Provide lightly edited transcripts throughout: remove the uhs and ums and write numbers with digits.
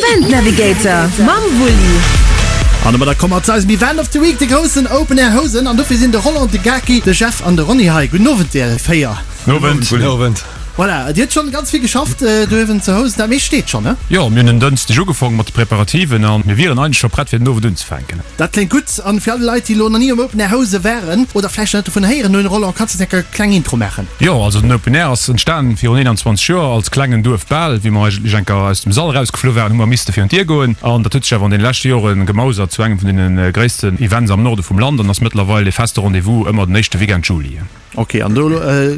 Event Navigator mam Wulli. An domadder komme mer zu eisem Event of the Week, de groussen Open Air Housen. An dofir sinn de Roland, de Gaki, de Jeff an de Ronny hei. Gudden Owend dir 4. Nowend. Gudden Owend. Voilà, dir hutt schonn ganz vill geschafft dohewen zu Housen. Dat meescht steet schonn, ne? Jo, mir hunn en Dënschdeg ugefong mat de Preparativen an mir wieren eigentlech scho prett fir den Owend unzefänken. Dat kléngt gutt. An fir all déi Leit, déi elo nach ni um Open Air Housen waren oder vläicht nach net dovun héieren hunn, Roland, kanns de enker kleng Intro maachen? Jo, also den Open Air ass entstan virun 21 Joer als klengen Duerfbal. Wéi mer eigentlech enker aus dem Sall erausgeflu waren, hu mer misste virun d'Dier goen. An dat huet sech awer an deene leschte Jore gemausert zu engem vun deene gréissten Events am Norde vum Land an ass mëttlerweil e feste Rendez-vous ëmmer den éischte Weekend Juli. Ok, an do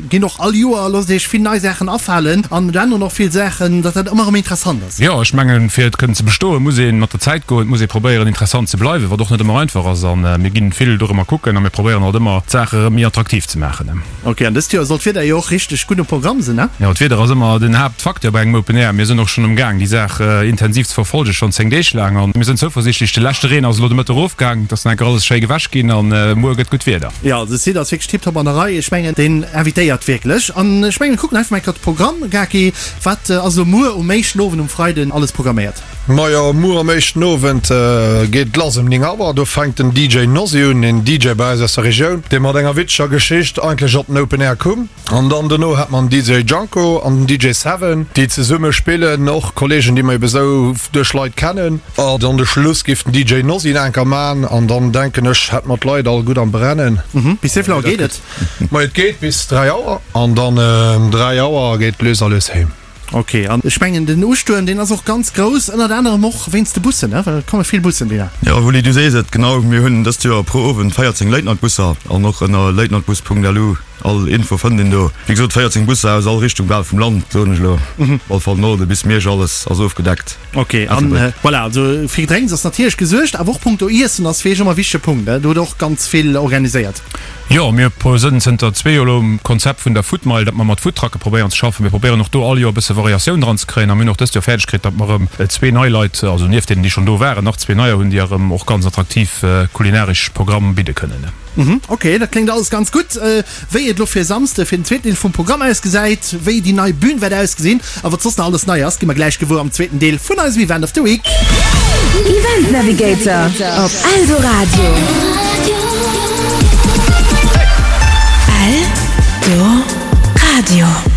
ginn och all Joer, loosst Iech vill nei Saachen afalen an et änneren och vill Saachen, datt dat ëmmer erëm interessant ass. Jo, ech mengen, fir et kënnen ze bestoen, muss ee mat der Zäit goen, et muss ee probéieren interessant ze bleiwen, wat och net ëmmer einfach ass. A mir ginn vill dorëmmer kucken a mir probéieren alt ëmmer d'Saache erëm méi attraktiv ze maachen. Ok, an dëst Joer soll d'Wieder jo och richteg gutt um Programm sinn, ne? Jo, d'Wieder ass ëmmer den Haaptfacteur bei engem Open Air. Mir sinn och schonn um Gaang déi Saach intensiv ze verfolgen, schonn 10 Deeg laang. An mir sinn zouversiichtlech, de leschte Reen ass elo de Mëtteg erofgaang, et ass nach enker alles schéi gewäsch ginn an muer gëtt gutt Wieder. Jo, also de Site ass wierklech tiptop an der Rei. Ech mengen, deen invitéiert wierklech. An ech mengen, mir kucken einfach mol enker de Programm. Gaki, wat ass elo muer um éischten Owend, um Freiden, alles programméiert? Majo, muer am éischten Owend geet et lass ëm 9 Auer. Do fänkt den DJ Nosy un, een DJ bei eis aus der Regioun, dee mat enger witzeger Geschicht eigentlech op den Open Air koum. An dann dono hat mer den DJ Janko an den DJ Seven, déi zesumme spillen, och Kolleegen, déi mer ebe sou duerch Leit kennen. A dann de Schluss géif den DJ Nosy nach eng Kéier man an dann denken ech, hätte mer d'Leit all gutt am Brennen. Bis wéi vill Auer geet et? Majo, et geet bis 3 Auer an dann ëm 3 Auer geet et lues a lues heem. Ok, an ech mengen den Ustuerm deen ass och ganz grouss, ënnert anerem och wéinst de Bussen, ne? Well et komme vill Bussen deeër. Jo Wulli, du sees et, genau, mir hunn dëst Joer pro Owend 14 Late-Night-Busser an och ënner latenightbus.lu all Info fënnt een do. Wéi gesot 14 Busser aus all Richtung bal vum Land, soen ech elo, op all Fall Norde bis Miersch, alles ass ofgedeckt. Ok, an voilà, also fir Gedrénks ass natierlech gesuergt, awer och punkto Iessen ass fir iech ëmmer e wichtege Punkt, ne? Do hutt der och ganz vill organiséiert. Jo, mir sënn zënter zwee Joer elo um Konzept vun der Food Mile, datt mer mat Foodtrucke probéieren ze schaffen. Mir probéieren och do all Joer e bësse Variatioun dran ze kréien a mir hunn och dëst Joer fäerdeg kritt, datt mer erëm zwee nei Leit, also nieft deenen, déi schonn do waren, nach zwee neier hunn, déi erëm och ganz attraktiv kulinaresch Programm bidde kënnen. Ok, dat kléngt alles ganz gutt. Wéi et elo fir e Samsde fir den zweeten Deel vum Programm ausgesäit, wéi déi nei Bühn wäert ausgesinn a wat soss nach alles nei ass, gi mer gläich gewuer am zweeten Deel vun eisem Event of the Week. Event Navigator op Eldoradio. Eldoradio.